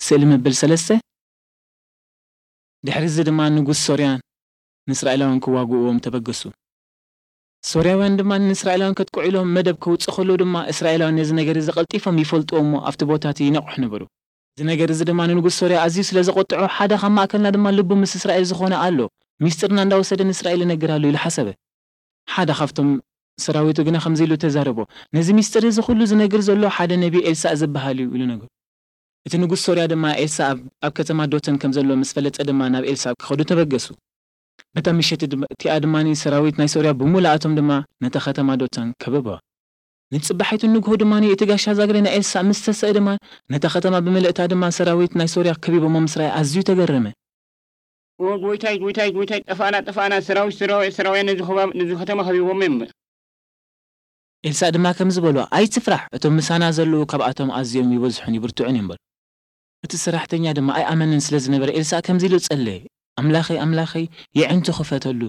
ስእሊ መበል ሰለስተ። ድሕሪ እዚ ድማ ንጉስ ሶርያን ንእስራኤላውያን ክዋግእዎም ተበገሱ። ሶርያውያን ድማ ንእስራኤላውያን ከጥቅዑ ኢሎም መደብ ከውጽእ ከለዉ ድማ፣ እስራኤላውያን ነዚ ነገር እዚ ቀልጢፎም ይፈልጥዎ እሞ ኣብቲ ቦታ እቲ ይነቕሑ ነበሩ። እዚ ነገር እዚ ድማ ንንጉስ ሶርያ ኣዝዩ ስለ ዘቖጥዖ፣ ሓደ ካብ ማእከልና ድማ ልቡ ምስ እስራኤል ዝኾነ ኣሎ፣ ሚስጥርና እንዳወሰደ ንእስራኤል ይነግር ኣሎ ኢሉ ሓሰበ። ሓደ ካብቶም ሰራዊቱ ግና ከምዚ ኢሉ ተዛረቦ፣ ነዚ ሚስጥር እዚ ኩሉ ዝነግር ዘሎ ሓደ ነቢ ኤልሳእ ዝበሃል እዩ ኢሉ ነገሩ። እቲ ንጉስ ሶርያ ድማ ኤልሳእ ኣብ፣ ኣብ ከተማ ዶተን ከም ዘሎ ምስ ፈለጠ ድማ ናብ ኤልሳእ ክኸዱ ተበገሱ። በታ ምሸት ድማ፣ እቲኣ ድማ ሰራዊት ናይ ሶርያ ብምሉኣቶም ድማ ነታ ከተማ ዶተን ከበባ። ንጽባሒቱ ንግሆ ድማ እቲ ጋሻ ዛግሬ ናይ ኤልሳእ ምስ ተሰእ ድማ ነታ ከተማ ብምልእታ ድማ ሰራዊት ናይ ሶርያ ከቢቦሞ ምስ ረኣየ ኣዝዩ ተገረመ። "ኦ ጎይታይ፣ ጎይታይ፣ ጎይታይ፣ ጠፋእና፣ ጠፋእና፣ ሰራዊት፣ ሰራዊ-፣ ሰራውያን ነዚ ኸባ-፣ ነዚ ከተማ ከቢቦሞ እዮም" በለ። ኤልሳእ ድማ ከምዚ በሎ፣ "ኣይትፍራሕ፣ እቶም ምሳና ዘለዉ ካብኣቶም ኣዝዮም ይበዝሑን ይብርትዑን እዮም" በሎ። እቲ ሰራሕተኛ ድማ ኣይኣመንን ስለ ዝነበረ ኤልሳእ ከምዚ ኢሉ ጸለየ፣ "ኣምላኸይ፣ ኣምላኸይ፣ የዕንቱ ክፈተሉ!"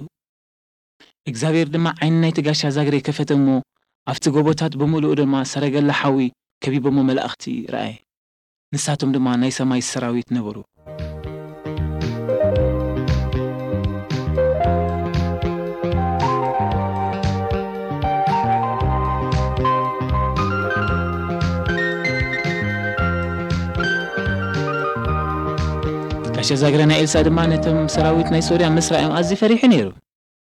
እግዚኣብሔር ድማ ዓይኒ ናይቲ ጋሻ ዛግሬ ከፈተ እሞ፣ ኣብቲ ጎቦታት ብምሉኡ ድማ ሰረገላ ሓዊ ከቢቦሞ መላእኽቲ ረኣየ። ንሳቶም ድማ ናይ ሰማይ ሰራዊት ነበሩ። ጋሻ ዛግረ ናይ ኤልሳእ ድማ ነቶም ሰራዊት ናይ ሶርያ ምስ ረኣዮም ኣዝዩ ፈሪሑ ነይሩ።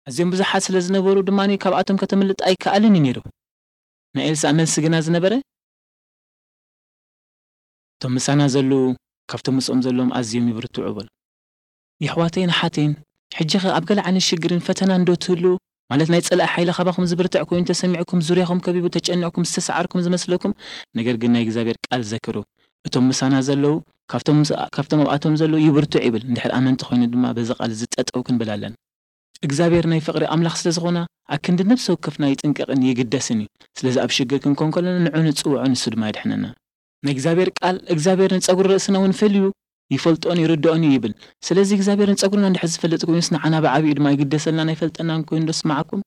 ኣዝዮም ብዙሓት ስለ ዝነበሩ ድማ ካብኣቶም ከተምልጥ ኣይከኣልን እዩ ነይሩ። ናይ ኤልሳእ መልሲ ግና ዝነበረ፣ "እቶም ምሳና ዘለዉ ካብቶም ምስኦም ዘለዎም ኣዝዮም ይብርትዑ" በሉ። የሕዋተይን ኣሓተይን፣ ሕጂ ኸ ኣብ ገለ ዓይነት ሽግርን ፈተናን ዶ ትህልዉ? ማለት ናይ ጸላኢ ሓይሊ ካባኹም ዝብርትዕ ኮይኑ ተሰሚዕኩም፣ ዙርያኹም ከቢቡ፣ ተጨኒቕኩም፣ ዝተሰዓርኩም ዝመስለኩም? ነገር ግን ናይ እግዚኣብሔር ቃል ዘክሩ። "እቶም ምሳና ዘለዉ ካብቶም ምስ-፣ ካብቶም ኣብኣቶም ዘለዉ ይብርትዑ" ይብል። እንድሕር ኣመንቲ ኮይኑ ድማ በዚ ቃል እዚ ጠጠው ክንብል ኣለና። እግዚኣብሔር ናይ ፍቕሪ ኣምላኽ ስለ ዝኾነ፣ ኣክንዲ ነፍሲ ወከፍና ይጥንቀቕን ይግደስን እዩ። ስለዚ ኣብ ሽግር ክንኮን ከለና ንዑ ንጽውዖ፣ ንሱ ድማ የድሕነና። ናይ እግዚኣብሔር ቃል፣ "እግዚኣብሔር ንጸጉሪ ርእስና እውን ፈልዩ ይፈልጦን ይርድኦን እዩ" ይብል። ስለዚ እግዚኣብሔር ንጸጉርና እንድሕር ዝፈልጥ ኮይኑስ፣ ንዓና ብዓቢኡ ድማ ይግደሰልናን ኣይፈልጠናን ኮይኑ ዶ ስምዓኩም?